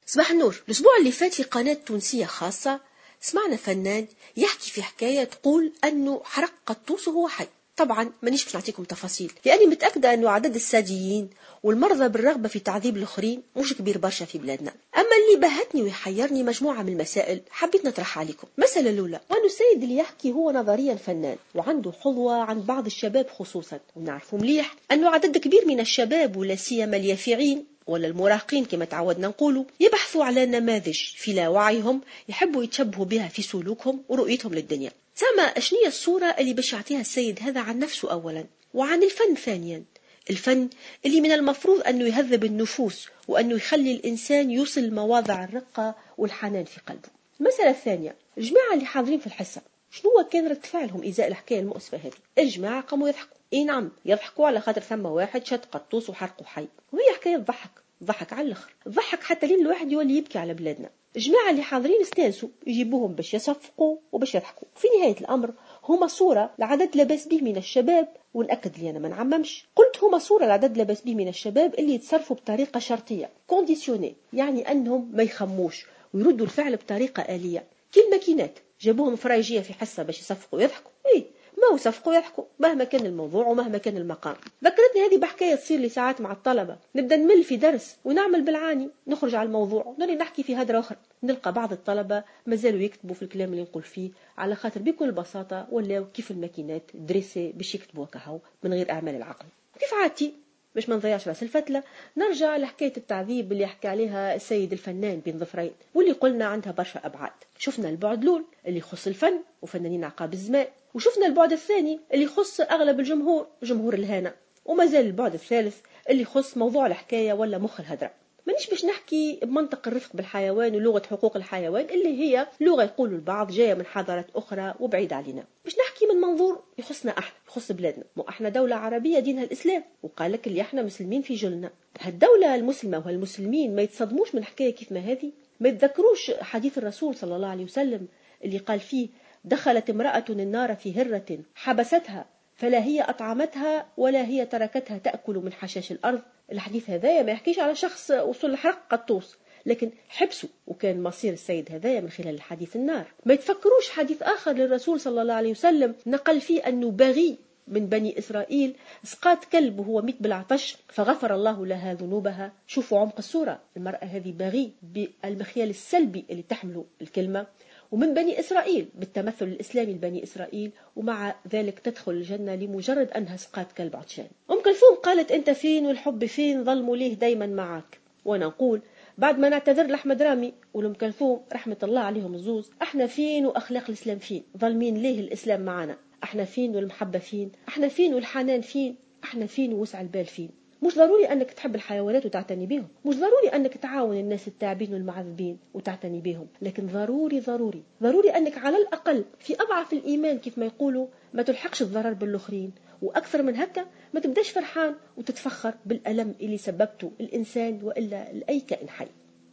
صباح النور. الأسبوع اللي فات في قناة تونسية خاصة سمعنا فنان يحكي في حكاية تقول أنه حرق قطوس وهو حي. طبعا مانيش باش نعطيكم تفاصيل لأني متأكدة أنه عدد الساديين والمرضى بالرغبة في تعذيب الآخرين مش كبير برشا في بلادنا. أما اللي بهتني ويحيرني مجموعة من المسائل حبيت نطرحها عليكم. المسألة الأولى وأنه السيد اللي يحكي هو نظريا فنان وعنده حظوة عند بعض الشباب خصوصا، ونعرفوا مليح أنه عدد كبير من الشباب ولا سيما اليافعين ولا المراهقين كما تعودنا نقولوا يبحثوا على نماذج في لا وعيهم يحبوا يتشبهوا بها في سلوكهم ورؤيتهم للدنيا. زعما اشنية الصورة اللي باش يعطيها السيد هذا عن نفسه أولا وعن الفن ثانيا؟ الفن اللي من المفروض أنه يهذب النفوس وأنه يخلي الإنسان يوصل لمواضع الرقة والحنان في قلبه. المسألة الثانية، الجماعة اللي حاضرين في الحصة شنو كان رد فعلهم إزاء الحكاية المؤسفة هذه؟ الجماعة قاموا يضحكوا. إي نعم يضحكوا على خاطر ثم واحد شد قطوس وحرقه حي، وهي حكاية تضحك، ضحك على الآخر، ضحك حتى لين الواحد يولي يبكي على بلادنا. الجماعة اللي حاضرين استانسوا يجيبوهم باش يصفقوا وباش يضحكوا. في نهاية الأمر هما صورة لعدد لاباس به من الشباب، ونأكد لي أنا ما نعممش، قلت هما صورة لعدد لاباس به من الشباب اللي يتصرفوا بطريقة شرطية conditionnée، يعني أنهم ما يخموش ويردوا الفعل بطريقة آلية كي الماكينات. جابوهم فرايجية في حصة باش يصفقوا ويضحكوا، إيه ما هو صفقوا يضحكوا مهما كان الموضوع ومهما كان المقام. ذكرتني هذه بحكاية تصير لي ساعات مع الطلبة، نبدا نمل في درس ونعمل بالعاني نخرج على الموضوع ونولي نحكي في هدرة أخرى، نلقى بعض الطلبة مازالوا يكتبوا في الكلام اللي نقول فيه على خاطر بكل بساطة ولاو كيف الماكينات dressées باش يكتبوا كهو من غير أعمال العقل. كيف عادتي باش ما نضيعش راس الفتلة نرجع لحكاية التعذيب اللي حكى عليها السيد الفنان بين ظفرين واللي قلنا عندها برشا أبعاد. شفنا البعد الأول اللي يخص الفن وفنانين عقاب الزمان، وشفنا البعد الثاني اللي يخص أغلب الجمهور، جمهور الهانة، وما زال البعد الثالث اللي يخص موضوع الحكاية ولا مخ الهدرة. مانيش باش نحكي بمنطق الرفق بالحيوان ولغة حقوق الحيوان اللي هي لغة يقولوا البعض جاية من حضارات أخرى وبعيدة علينا، باش نحكي من منظور يخصنا احنا، يخص بلادنا. مو احنا دولة عربية دينها الإسلام، وقال لك اللي احنا مسلمين في جلنا. هالدولة المسلمة وهالمسلمين ما يتصدموش من حكاية كيف ما هذه؟ ما يتذكروش حديث الرسول صلى الله عليه وسلم اللي قال فيه دخلت امرأة النار في هرة حبستها فلا هي أطعمتها ولا هي تركتها تأكل من حشاش الأرض؟ الحديث هذايا ما يحكيش على شخص وصل لحرق قطوس، لكن حبسه وكان مصير السيد هذايا من خلال الحديث النار. ما يتفكروش حديث آخر للرسول صلى الله عليه وسلم نقل فيه أنه بغي من بني إسرائيل سقات كلب وهو ميت بالعطش فغفر الله لها ذنوبها. شوفوا عمق الصورة، المرأة هذه بغي بالمخيال السلبي اللي تحمله الكلمة، ومن بني إسرائيل بالتمثل الإسلامي لبني إسرائيل، ومع ذلك تدخل الجنة لمجرد أنها سقات كلب عطشان. أم كلثوم قالت أنت فين والحب فين، ظلموا ليه دايما معاك. وأنا نقول بعد ما نعتذر لأحمد رامي ولأم كلثوم رحمة الله عليهم الزوز، احنا فين وأخلاق الإسلام فين؟ ظالمين ليه الإسلام معانا؟ احنا فين والمحبة فين؟ احنا فين والحنان فين؟ احنا فين ووسع البال فين؟ مش ضروري أنك تحب الحيوانات وتعتني بهم، مش ضروري أنك تعاون الناس التعبين والمعذبين وتعتني بهم، لكن ضروري ضروري ضروري أنك على الأقل في أضعف الإيمان كيف ما يقولوا ما تلحقش الضرر بالآخرين، وأكثر من هكا ما تبداش فرحان وتتفخر بالألم اللي سببته الإنسان وإلا لأي كائن حي.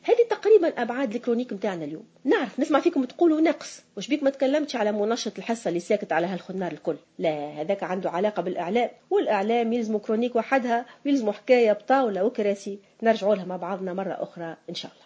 هذه تقريبا ابعاد ال chronique نتاعنا اليوم. نعرف نسمع فيكم تقولوا نقص، واش بيك ما تكلمتش على منشط الحصة اللي ساكت على هالخنار الكل؟ لا، هذاك عنده علاقة بالاعلام، والاعلام يلزموا chronique وحدها ويلزموا حكاية بطاوله وكراسي نرجعوا لها مع بعضنا مرة اخرى ان شاء الله.